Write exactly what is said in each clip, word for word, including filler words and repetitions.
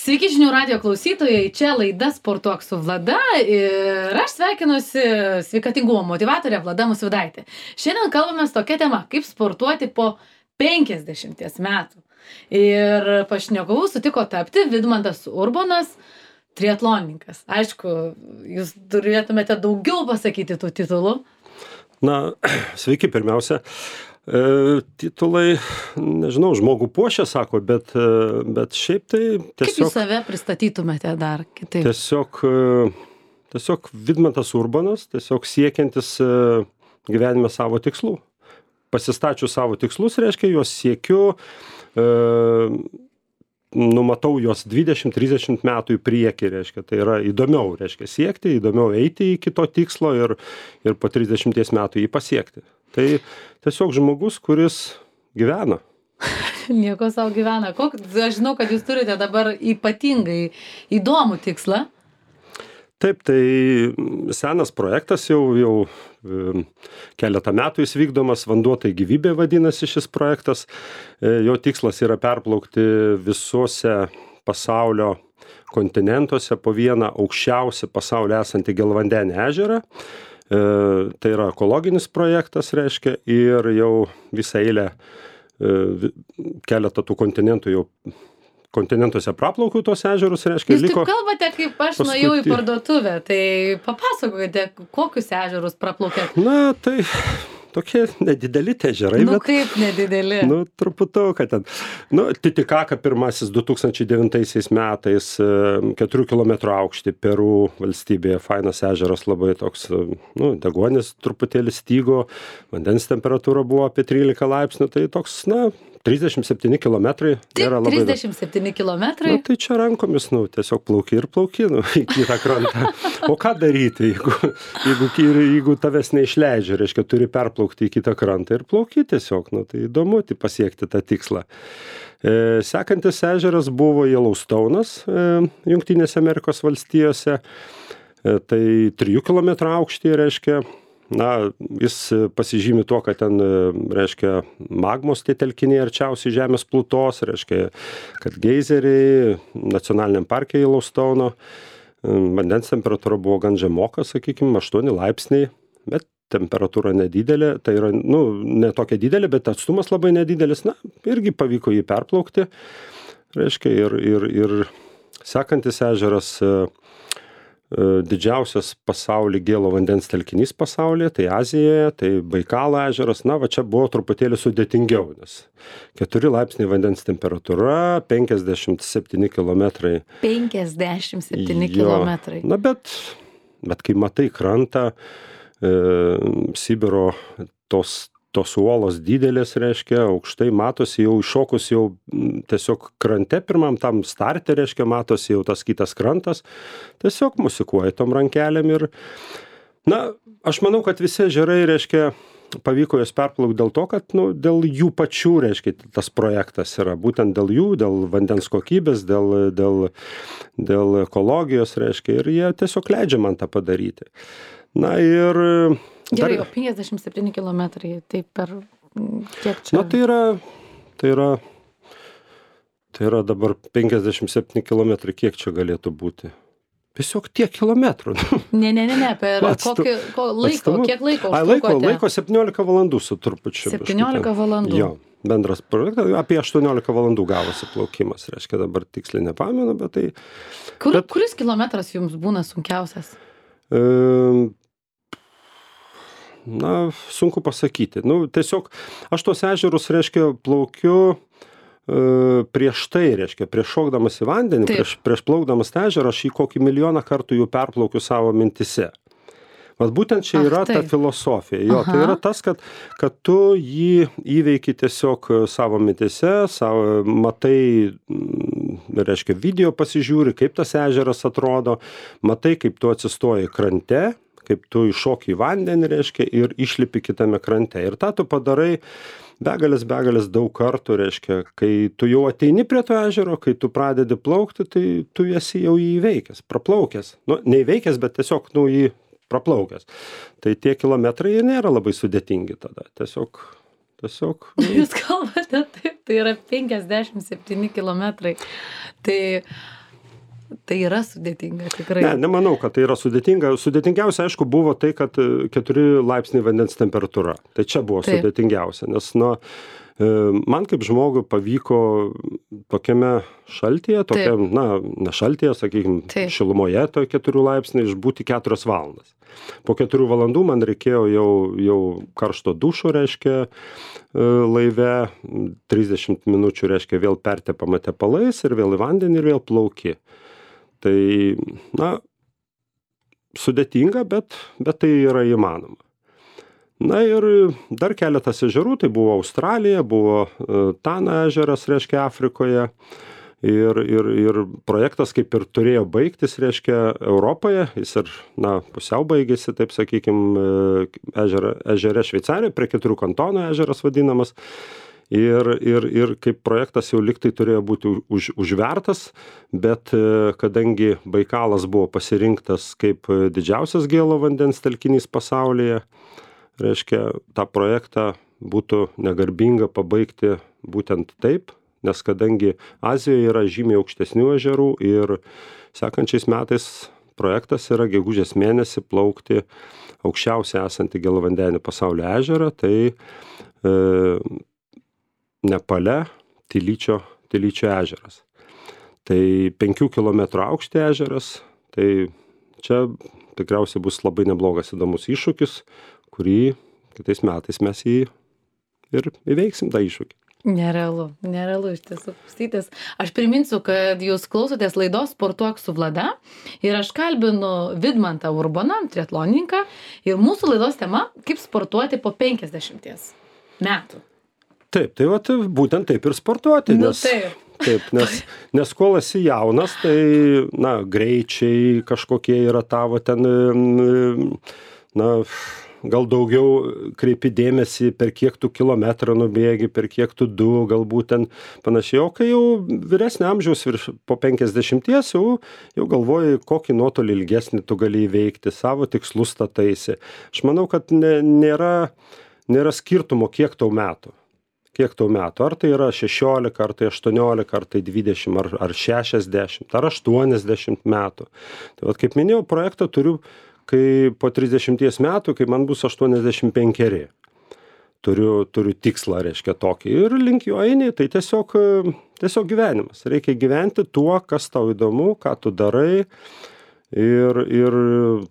Sveiki žinių radijo klausytojai, čia laida Sportuok su Vlada ir aš sveikinuosi sveikatingumo motyvatorė Vlada Musvydaitė. Šiandien kalbame tokia tema, kaip sportuoti po penkiasdešimties metų. Ir pašnekovu sutiko tapti Vidmantas Urbonas, triatlonininkas. Aišku, jūs turėtumėte daugiau pasakyti tų titulų. Na, sveiki pirmiausia. E, titulai, nežinau, žmogų puošia, sako, bet, bet šiaip tai tiesiog... Kaip jūs save pristatytumėte dar kitaip? Tiesiog, tiesiog Vidmantas Urbonas, tiesiog siekiantis gyvenime savo tikslų. Pasistačiu savo tikslus, reiškia, juos siekiu, e, numatau juos dvidešimt trisdešimt metų į priekį, reiškia, tai yra įdomiau, reiškia, siekti, įdomiau eiti iki to tikslo ir, ir po trisdešimties metų jį pasiekti. Tai tiesiog žmogus, kuris gyvena. Nieko savo gyvena. Kok, aš žinau, kad jūs turite dabar ypatingai įdomų tikslą. Taip, tai senas projektas jau, jau keletą metų jis vykdomas, Vanduo tai gyvybė vadinasi šis projektas. Jo tikslas yra perplaukti visuose pasaulio kontinentuose po vieną aukščiausią pasaulyje esantį gelvandenį ežerą. Tai yra ekologinis projektas, reiškia, ir jau visą eilę keletą tų kontinentų jau kontinentuose praplaukiau tos ežerus, reiškia, jūs liko... Jūs taip kalbate, kaip aš nuėjau į parduotuvę, tai papasakokite, kokius ežerus praplaukėt. Na, tai tokie nedideli tie ežerai. Nu, bet, kaip nedideli? Nu, truputuką ten. Nu, Titikaka pirmasis du tūkstančiai devintaisiais metais, keturių kilometrų aukštį Peru valstybėje, fainas ežeras, labai toks, nu, deguonis truputėlį stygo, vandens temperatūra buvo apie trylika laipsnių, tai toks, na, trisdešimt septyni kilometrai. Tik trisdešimt septyni kilometrai? Na, tai čia rankomis, nu, tiesiog plauki ir plauki, nu, į kitą krantą. O ką daryti, jeigu, jeigu, jeigu tavęs neišleidžia, reiškia, turi perplaukti į kitą krantą ir plauki tiesiog, nu, tai įdomu tai pasiekti tą tikslą. E, sekantis ežeras buvo Yellowstone'as, e, Jungtinėse Amerikos valstijose, e, tai trijų kilometrų aukštyje, reiškia, na, jis pasižymi tuo, kad ten, reiškia, magmos tie telkiniai arčiausiai žemės plutos, reiškia, kad geizeriai nacionaliniam parke Yellowstone'o, vandens temperatūra buvo gan žemoka, sakykime, aštuoni laipsniai, bet temperatūra nedidelė, tai yra, nu, ne tokia didelė, bet atstumas labai nedidelis, na, irgi pavyko jį perplaukti, reiškia, ir, ir, ir sekantis ežeras, didžiausias pasaulį gėlo vandens telkinys pasaulyje, tai Azijoje, tai Baikalo ežeras, na, va čia buvo truputėlį sudėtingiau, nes keturi laipsniai vandens temperatūra, penkiasdešimt septyni kilometrai. penkiasdešimt septyni kilometrai. Na, bet, bet kai matai krantą, e, Sibiro tos tos uolos didelės, reiškia, aukštai matosi, jau iššokus jau tiesiog krante pirmam tam starte, reiškia, matosi jau tas kitas krantas, tiesiog musikuoja tom rankelėm ir, na, aš manau, kad visi ežerai, reiškia, pavyko jas perplaukti dėl to, kad, nu, dėl jų pačių, reiškia, tas projektas yra, būtent dėl jų, dėl vandens kokybės, dėl, dėl, dėl ekologijos, reiškia, ir jie tiesiog leidžia man tą padaryti. Na ir... Gerai, o penkiasdešimt septyni kilometrai, tai per kiek čia? Na, tai yra, tai yra, tai yra dabar penkiasdešimt septyni kilometrai, kiek čia galėtų būti? Tiesiog tiek kilometrų. Ne, ne, ne, ne, per kokį ko, laiko, Atstumu. Kiek laiko Ai, laiko, laiko septyniolika valandų su trupučiu. septyniolika valandų? Jo, bendras projektas, apie aštuoniolika valandų gavosi plaukimas, reiškia, dabar tiksliai nepamenu, bet tai... Kur, bet, kuris kilometras jums būna sunkiausias? E, Na, sunku pasakyti. Nu, tiesiog aš tos ežerus, reiškia, plaukiu e, prieš tai, reiškia, prieš šokdamas į vandenį, prieš, prieš plaukdamas tą ežerą, aš jį kokį milijoną kartų jau perplaukiu savo mintise. Vat būtent čia yra Ach, ta filosofija. Jo, Aha. Tai yra tas, kad, kad tu jį įveiki tiesiog savo mintise, savo, matai, reiškia, video pasižiūri, kaip tas ežeras atrodo, matai, kaip tu atsistoji krante, kaip tu iššoki į vandenį, reiškia, ir išlipi kitame krante. Ir tą tu padarai begalės, begalės daug kartų, reiškia, kai tu jau ateini prie to ežero, kai tu pradedi plaukti, tai tu esi jau jį įveikęs, praplaukęs. Nu, neįveikęs, bet tiesiog, nu, jį praplaukęs. Tai tie kilometrai nėra labai sudėtingi tada. Tiesiog, tiesiog... Nu... Jūs kalbate taip, tai yra penkiasdešimt septyni kilometrai. Tai Tai yra sudėtinga, tikrai. Ne, nemanau, kad tai yra sudėtinga. Sudėtingiausia, aišku, buvo tai, kad keturi laipsniai vandens temperatūra. Tai čia buvo Taip. sudėtingiausia, nes, nu, man kaip žmogui pavyko tokiame šaltyje, tokia, Taip. na, ne šaltyje, sakykime, Taip. šilumoje, to keturių laipsnių išbūti keturias valandas. Po keturių valandų man reikėjo jau, jau karšto dušo, reiškia, laive, trisdešimt minučių, reiškia, vėl pertepama tepalais ir vėl į vandenį ir vėl plauki. Tai, na, sudėtinga, bet, bet tai yra įmanoma. Na ir dar keletas ežerų, tai buvo Australija, buvo Tana ežeras, reiškia, Afrikoje. Ir, ir, ir projektas kaip ir turėjo baigtis, reiškia, Europoje, jis ir, na, pusiau baigėsi, taip sakykime, ežere, ežere Šveicarijoje, prie keturių kantonų ežeras vadinamas. Ir, ir, ir kaip projektas jau liktai turėjo būti už, užvertas, bet kadangi Baikalas buvo pasirinktas kaip didžiausias gėlo vandens telkinys pasaulyje, reiškia, tą projektą būtų negarbinga pabaigti būtent taip, nes kadangi Azijoje yra žymiai aukštesnių ežerų ir sekančiais metais projektas yra gegužės mėnesį plaukti aukščiausiai esantį gėlavandenį pasaulio ežerą, tai e, Nepale Tilyčio, Tilyčio ežeras. Tai penkių kilometrų aukštį ežeras, tai čia tikriausiai bus labai neblogas įdomus iššūkis, kurį kitais metais mes jį ir įveiksim tą iššūkį. Nerealu, nerealu iš tiesų klausytis. Aš priminsiu, kad jūs klausotės laidos Sportuok su Vlada ir aš kalbinu Vidmantą Urboną, triatlonininką, ir mūsų laidos tema – kaip sportuoti po penkiasdešimties metų. Taip, tai vat, būtent taip ir sportuoti, Nu, nes, taip. taip, nes, nes kol esi jaunas, tai, na, greičiai kažkokie yra tavo ten, na, gal daugiau kreipi dėmesį, per kiek tu kilometrą nubėgi, per kiek tu du, galbūt ten panašiai. O kai jau vyresnio amžiaus virš po penkiasdešimties, jau, jau galvoji, kokį nuotolį ilgesnį tu gali įveikti, savo tikslus stataisi. Aš manau, kad ne, nėra, nėra skirtumo, kiek tau metų. Kiek tau metų. Ar tai yra šešiolika, ar tai aštuoniolika, ar tai dvidešimt, ar, ar šešiasdešimt, ar aštuoniasdešimt metų. Tai vat, kaip minėjau, projektą turiu, kai po trisdešimties metų, kai man bus aštuoniasdešimt penkeri. Turiu, turiu tikslą, reiškia, tokį. Ir link jo eini, tai tiesiog, tiesiog gyvenimas. Reikia gyventi tuo, kas tau įdomu, ką tu darai. Ir, ir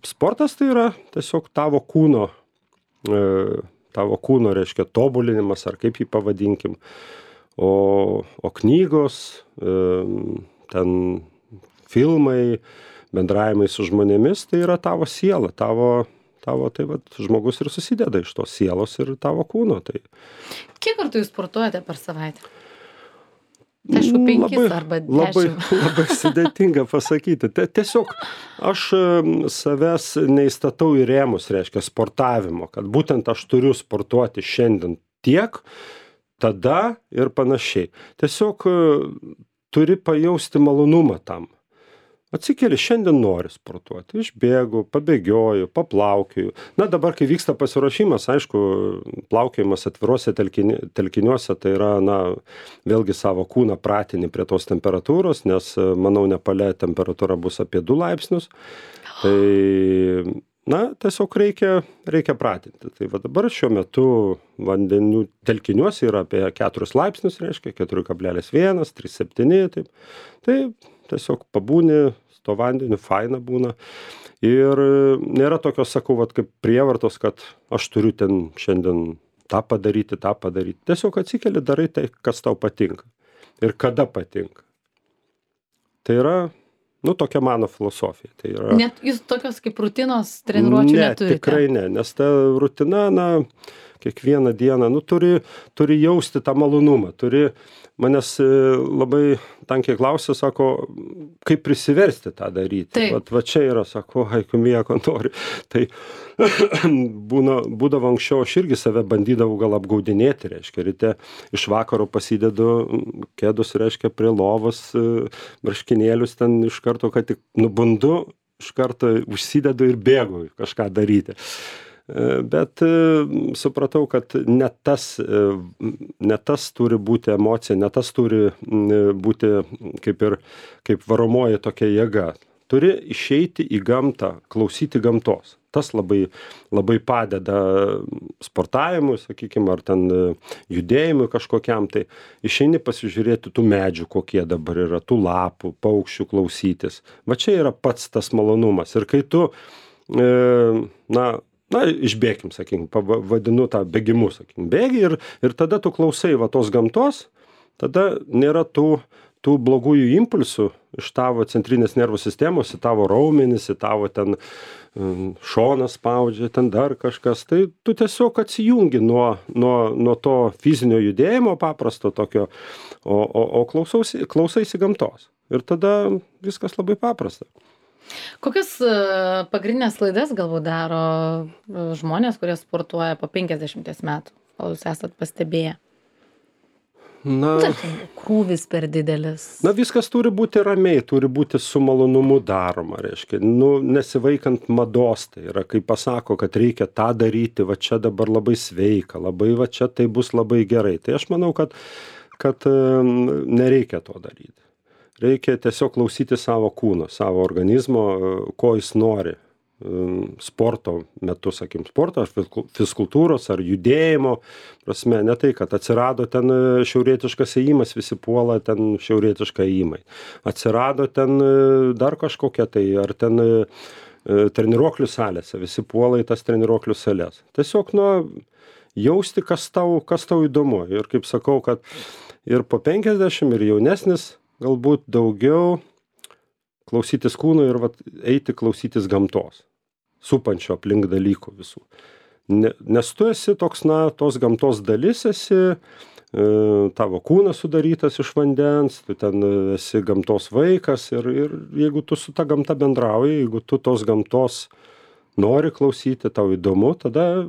sportas tai yra tiesiog tavo kūno, e, tavo kūno, reiškia, tobulinimas, ar kaip jį pavadinkim. O, o knygos, e, ten filmai, bendravimai su žmonėmis, tai yra tavo siela, tavo, tavo tai vat, žmogus ir susideda iš tos sielos ir tavo kūno. Tai... Kiek kartų jūs sportuojate per savaitę? Aišku, penkis labai, arba labai, dešimt. labai sudėtinga pasakyti. Tiesiog aš savęs neįstatau į rėmus, reiškia, sportavimo, kad būtent aš turiu sportuoti šiandien tiek, tada ir panašiai. Tiesiog turi pajausti malonumą tam. Atsikeli, šiandien nori sportuoti, išbėgu, pabėgioju, paplaukioju. Na dabar, kai vyksta pasiruošimas, aišku, plaukiojimas atviruose telkini, telkiniuose, tai yra, na, vėlgi savo kūną pratini prie tos temperatūros, nes, manau, Nepale temperatūra bus apie du laipsnius. Tai, na, tiesiog reikia, reikia pratinti. Tai va dabar šiuo metu vandenių telkiniuose yra apie keturis laipsnius, reiškia, keturi kablelis vienas, trys septyni, taip. Tai tiesiog pabūni, to vandeniu, faina būna. Ir nėra tokios, sakau, vat, kaip prievartos, kad aš turiu ten šiandien tą padaryti, tą padaryti. Tiesiog atsikeli, darai tai, kas tau patinka. Ir kada patinka. Tai yra, nu, tokia mano filosofija. Tai yra... Net jūs tokios kaip rutinos treniruočių ne, neturite? Tikrai ne, nes ta rutina, na, kiekvieną dieną, nu, turi, turi jausti tą malonumą, turi, manęs labai tankiai klausia, sako, kaip prisiversti tą daryti. Vat, va čia yra, sako, aiku, mieko nori. Tai būna, būdavo anksčiau, aš irgi save bandydavau gal apgaudinėti, reiškia, ryte iš vakaro pasidedu kėdus, reiškia, prie lovos, marškinėlius ten iš karto, kad tik nubundu, iš karto užsidedu ir bėgu kažką daryti. Bet supratau, kad ne tas, ne tas turi būti emocija, ne tas turi būti kaip ir kaip varomoji tokia jėga. Turi išeiti į gamtą, klausyti gamtos. Tas labai, labai padeda sportavimui, sakykime, ar ten judėjimui kažkokiam. Tai išeini pasižiūrėti tų medžių, kokie dabar yra, tų lapų, paukščių klausytis. Va čia yra pats tas malonumas. Ir kai tu, e, na, na, išbėkim, sakykim, vadinu tą bėgimu, sakykim, bėgi ir, ir tada tu klausai va tos gamtos, tada nėra tų, tų blogųjų impulsų iš tavo centrinės nervų sistemos, į tavo raumenis, į tavo ten šoną spaudžia, ten dar kažkas. Tai tu tiesiog atsijungi nuo, nuo, nuo to fizinio judėjimo paprasto tokio, o, o, o klausausi, klausaisi gamtos. Ir tada viskas labai paprasta. Kokias pagrindinės klaidas galbūt daro žmonės, kurie sportuoja po penkiasdešimties metų, kol jūs esat pastebėję? Na, Tarkim, krūvis per didelis. Na, viskas turi būti ramiai, turi būti su malonumu daroma, reiškia. Nu, nesivaikant mados, tai yra, kai pasako, kad reikia tą daryti, va čia dabar labai sveika, labai va čia tai bus labai gerai. Tai aš manau, kad, kad nereikia to daryti. Reikia tiesiog klausyti savo kūno, savo organizmo, ko jis nori. Sporto metu, sakykim, sporto, ar fizkultūros, ar judėjimo prasme, ne tai, kad atsirado ten šiaurietiškas ėjimas, visi puola ten šiaurietišką ėjimai. Atsirado ten dar kažkokia tai, ar ten treniruoklių salėse, visi puola į tas treniruoklių salės. Tiesiog, nu, jausti, kas tau, kas tau įdomu. Ir kaip sakau, kad ir po penkiasdešimt, ir jaunesnis, galbūt daugiau klausytis kūno ir vat, eiti klausytis gamtos, supančio aplink dalykų visų. Ne, nes tu esi toks, na, tos gamtos dalis esi, e, tavo kūnas sudarytas iš vandens, tu ten esi gamtos vaikas ir, ir jeigu tu su ta gamta bendrauji, jeigu tu tos gamtos nori klausyti, tau įdomu, tada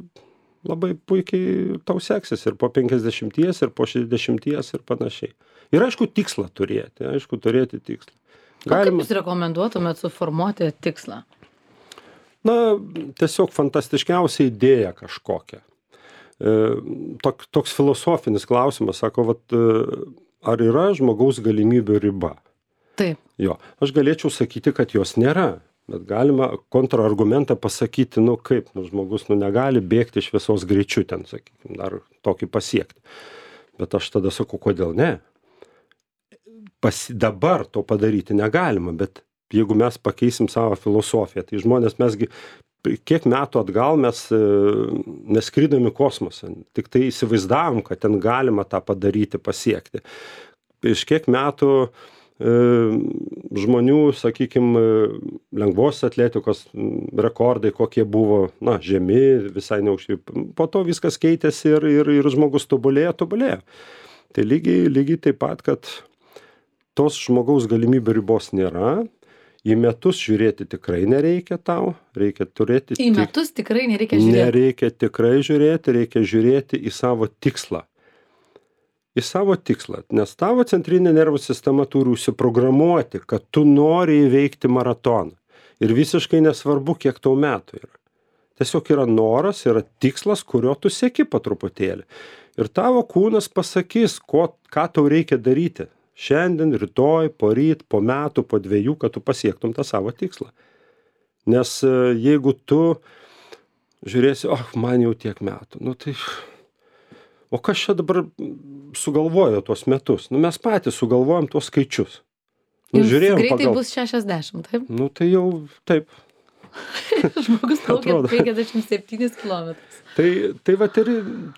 labai puikiai tau seksis ir po penkiasdešimties, ir po šešiasdešimties ir panašiai. Ir aišku, tikslą turėti, aišku, turėti tikslą. Galima... O kaip jūs rekomenduotumėt suformuoti tikslą? Na, tiesiog fantastiškiausia idėja kažkokia. E, tok, toks filosofinis klausimas, sako, vat, ar yra žmogaus galimybių riba? Taip. Jo, aš galėčiau sakyti, kad jos nėra, bet galima kontrargumentą pasakyti, nu kaip, nu žmogus, nu negali bėgti šviesos greičiu ten, sakykime, dar tokį pasiekti. Bet aš tada sakau, kodėl ne? Pas, dabar to padaryti negalima, bet jeigu mes pakeisim savo filosofiją, tai žmonės mesgi, kiek metų atgal mes neskridom į kosmosą, tik tai įsivaizdavom, kad ten galima tą padaryti, pasiekti. Iš kiek metų e, žmonių, sakykime, lengvos atletikos rekordai, kokie buvo, na, žemi, visai neužti. Po to viskas keitėsi ir, ir, ir žmogus tobulėjo, tobulėjo. Tai lygiai, lygiai taip pat, kad tos žmogaus galimybių ribos nėra. Į metus žiūrėti tikrai nereikia tau, reikia turėti... Į metus tik... tikrai nereikia žiūrėti. Nereikia tikrai žiūrėti, reikia žiūrėti į savo tikslą. Į savo tikslą, nes tavo centrinė nervų sistema turi užsiprogramuoti, kad tu nori įveikti maratoną. Ir visiškai nesvarbu, kiek tau metų yra. Tiesiog yra noras, yra tikslas, kurio tu sieki po truputėlį. Ir tavo kūnas pasakys, ko, ką tau reikia daryti. Šiandien, rytoj, poryt, po metų, po dviejų, kad tu pasiektum tą savo tikslą. Nes jeigu tu žiūrėsi, oh, man jau tiek metų, nu tai, o kas čia dabar sugalvojo tuos metus? Nu mes patys sugalvojom tuos skaičius. Nu, Jums žiūrėjom greitai pagal... bus šešiasdešimt, taip? Nu tai jau taip. Žmogus plaukia penkiasdešimt septynis kilometrus. Tai, tai va ir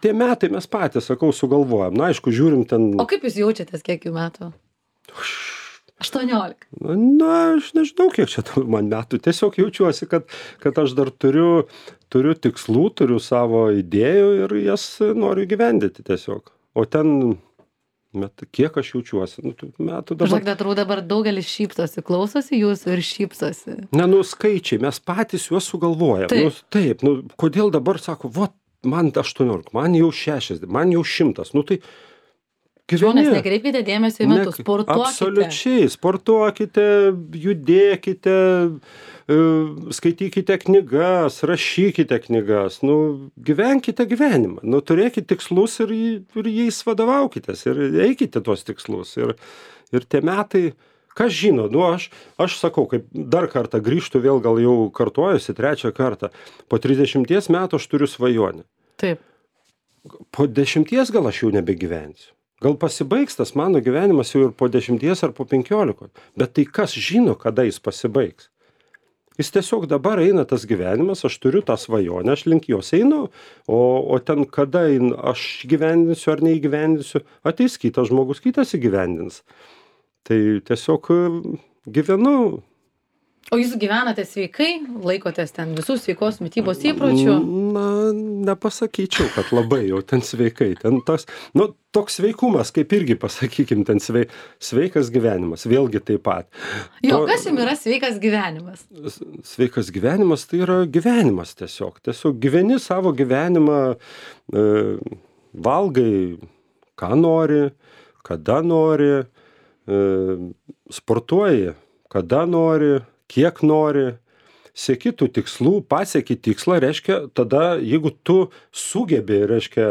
tie metai mes patys, sakau, sugalvojam. Na, aišku, žiūrim ten... O kaip jūs jaučiatės, kiek jų metų? aštuoniolika. Na, aš nežinau, kiek čia man metų. Tiesiog jaučiuosi, kad, kad aš dar turiu, turiu tikslų, turiu savo idėjų ir jas noriu gyvendyti tiesiog. O ten... Met, kiek aš jaučiuosi, nu, metų dabar. Žinok, atrodo, dabar daugelis šypsosi, klausosi jūsų ir šypsosi. Ne, nu, skaičiai, mes patys juos sugalvojam. Taip, nu, taip nu, kodėl dabar sako, vat, man aštuoniolika, man jau šešiasdešimt, man jau šimtas, nu tai Žmonės, nekreipkite dėmesio į metus, sportuokite. Absoliučiai, sportuokite, judėkite, skaitykite knygas, rašykite knygas, nu, gyvenkite gyvenimą, nu, turėkite tikslus ir, ir jais vadovaukitės ir eikite tuos tikslus. Ir, ir tie metai, kas žino, nu, aš, aš sakau, kaip dar kartą grįžtu, vėl gal jau kartuojuosi trečią kartą, po trisdešimties metų aš turiu svajonę. Taip. Po dešimties gal aš jau nebegyvensiu. Gal pasibaigs tas mano gyvenimas jau ir po dešimties ar po penkiolikos. Bet tai kas žino, kada jis pasibaigs? Jis tiesiog dabar eina tas gyvenimas, aš turiu tą svajonę, aš link jos einu, o, o ten kada aš gyvendinsiu ar neįgyvendinsiu, ateis kitas žmogus, kitas įgyvendins. Tai tiesiog gyvenu. O jūs gyvenate sveikai, laikotės ten visų sveikos mitybos įpročių? Na, nepasakyčiau, kad labai jau ten sveikai. Ten tas, nu, toks sveikumas, kaip irgi pasakykim, ten svei, sveikas gyvenimas, vėlgi taip pat. Jo, to, kas jums yra sveikas gyvenimas? Sveikas gyvenimas tai yra gyvenimas tiesiog. Tiesiog gyveni savo gyvenimą, e, valgai, ką nori, kada nori, e, sportuoji, kada nori, kiek nori, sieki tų tikslų, pasieki tikslą, reiškia, tada, jeigu tu sugebi, reiškia,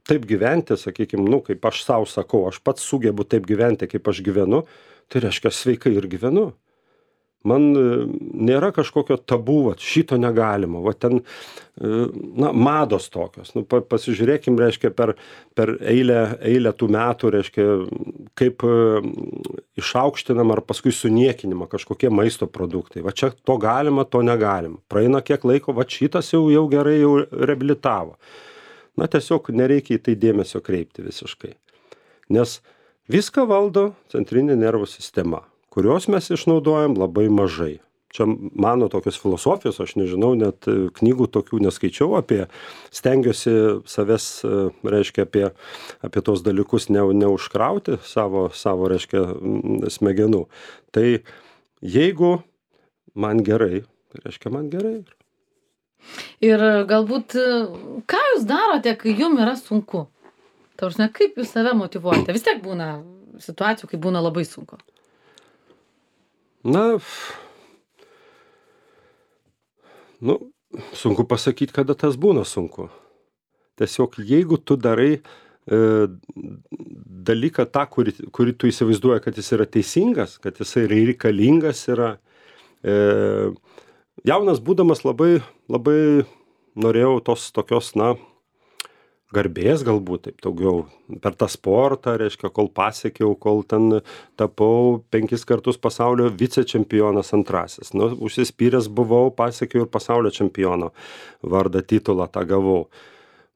taip gyventi, sakykime, nu, kaip aš savo sakau, aš pats sugebu taip gyventi, kaip aš gyvenu, tai reiškia, sveikai ir gyvenu. Man nėra kažkokio tabu, va, šito negalima, va ten, na, mados tokios. Nu, pasižiūrėkim, reiškia, per, per eilę, eilę tų metų, reiškia, kaip išaukštinama ar paskui suniekinima kažkokie maisto produktai. Va čia to galima, to negalima. Praeina kiek laiko, va šitas jau, jau gerai jau reabilitavo. Na, tiesiog nereikia į tai dėmesio kreipti visiškai. Nes viską valdo centrinė nervų sistema, kurios mes išnaudojam labai mažai. Čia mano tokios filosofijos, aš nežinau, net knygų tokių neskaičiau apie, stengiuosi savęs, reiškia, apie, apie tos dalykus ne, neužkrauti savo, savo, reiškia, smegenų. Tai jeigu man gerai, tai reiškia man gerai. Ir galbūt, ką jūs darote, kai jums yra sunku? Tarsime, kaip jūs save motyvuojate? Vis tiek būna situacijų, kai būna labai sunku. Na, nu, sunku pasakyti, kada tas būna sunku. Tiesiog, jeigu tu darai e, dalyką tą, kurį, kurį tu įsivaizduoji, kad jis yra teisingas, kad jis yra reikalingas, yra e, jaunas būdamas labai, labai norėjau tos tokios, na, garbės galbūt, taip daugiau, per tą sportą, reiškia, kol pasiekiau, kol ten tapau penkis kartus pasaulio vicečempionas antrasis. Nu, užsispyręs buvau, pasiekiau ir pasaulio čempiono vardą, titulą tą gavau.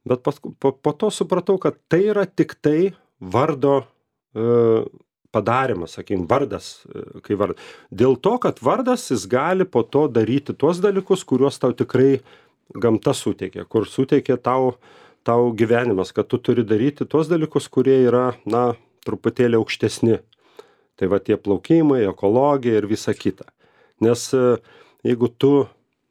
Bet pas, po, po to supratau, kad tai yra tik tai vardo e, padarimas, sakykim, vardas, e, kai vardas. Dėl to, kad vardas jis gali po to daryti tuos dalykus, kuriuos tau tikrai gamta suteikia, kur suteikia tau tau gyvenimas, kad tu turi daryti tuos dalykus, kurie yra, na, truputėlį aukštesni. Tai va tie plaukimai, ekologija ir visa kita. Nes jeigu tu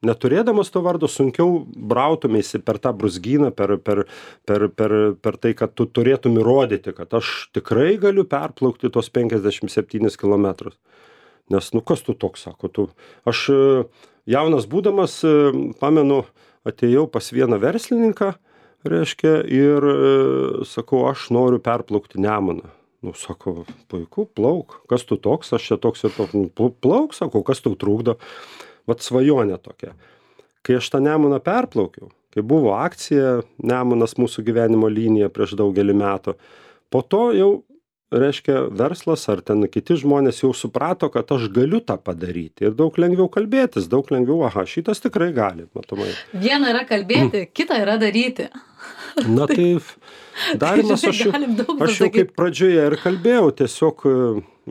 neturėdamas to vardo, sunkiau brautumėsi per tą brūzgyną, per, per, per, per, per tai, kad tu turėtum įrodyti, kad aš tikrai galiu perplaukti tos penkiasdešimt septynis kilometrus. Nes, nu, kas tu toks, sako, tu. Aš jaunas būdamas, pamenu, atėjau pas vieną verslininką, reiškia, ir e, sakau, aš noriu perplaukti Nemuną. Nu, sako, puiku, plauk, kas tu toks, aš čia toks ir toks, nu, plauk, sakau, kas tau trukdo. Vat svajonė tokia. Kai aš tą Nemuną perplaukiau, kai buvo akcija Nemunas mūsų gyvenimo linija prieš daugelį metų, po to jau, reiškia, verslas ar ten kiti žmonės jau suprato, kad aš galiu tą padaryti ir daug lengviau kalbėtis, daug lengviau, aha, šitas tikrai gali, matomai. Viena yra kalbėti, mm. kita yra daryti. Na tai darimas, aš, aš jau kaip pradžioje ir kalbėjau, tiesiog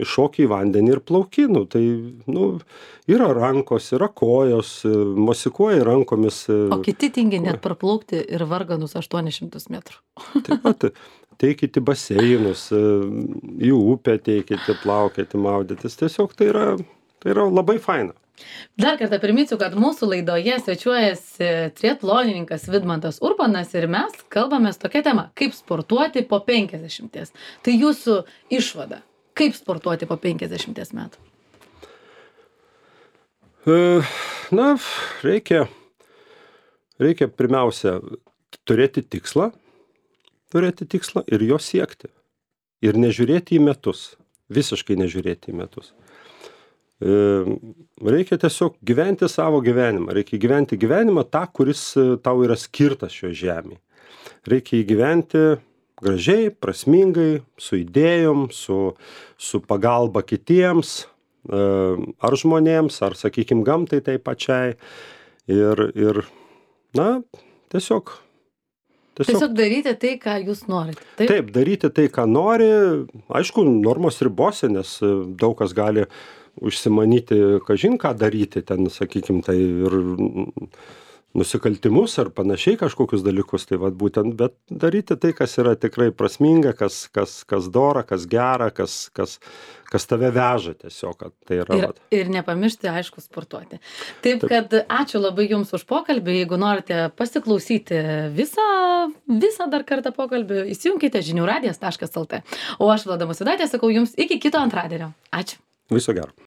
iššoki į vandenį ir plauki, nu, tai, nu, yra rankos, yra kojos, mosikuoji rankomis. O kiti tingi net praplaukti ir varganus aštuonis šimtus metrų. Taip pat, teikite baseinus, į upę teikite, plaukėti, maudytis, tiesiog tai yra, Tai yra labai faina. Dar kartą priminsiu, kad mūsų laidoje svečiuojasi triatlonininkas Vidmantas Urbonas ir mes kalbamės tokia tema, kaip sportuoti po penkiasdešimties. Tai jūsų išvada, kaip sportuoti po penkiasdešimties metų? Na, reikia, reikia pirmiausia turėti tikslą, turėti tikslą ir jo siekti. Ir nežiūrėti į metus, visiškai nežiūrėti į metus. Reikia tiesiog gyventi savo gyvenimą, reikia gyventi gyvenimą tą, kuris tau yra skirtas šio žemėje. Reikia įgyventi gražiai, prasmingai, su idėjom, su, su pagalba kitiems, ar žmonėms, ar, sakykime, gamtai tai pačiai. Ir, ir na, tiesiog... Tiesiog, tiesiog daryti tai, ką jūs norite. Taip? Taip, daryti tai, ką nori, aišku, normos ribose, nes daug kas gali užsimanyti, kažin ką daryti, ten, sakykime, tai ir nusikaltimus ar panašiai kažkokius dalykus, tai vat būtent, bet daryti tai, kas yra tikrai prasminga, kas, kas, kas dora, kas gera, kas, kas, kas tave veža tiesiog, kad tai yra. Ir, ir nepamiršti, aišku, sportuoti. Taip, Taip, kad ačiū labai Jums už pokalbį, jeigu norite pasiklausyti visą, visą dar kartą pokalbį, įsijunkite žinių radijas taškas lt. O aš, Vlada Musvydaitė, sakau Jums iki kito antradienio. Ačiū. Viso gero.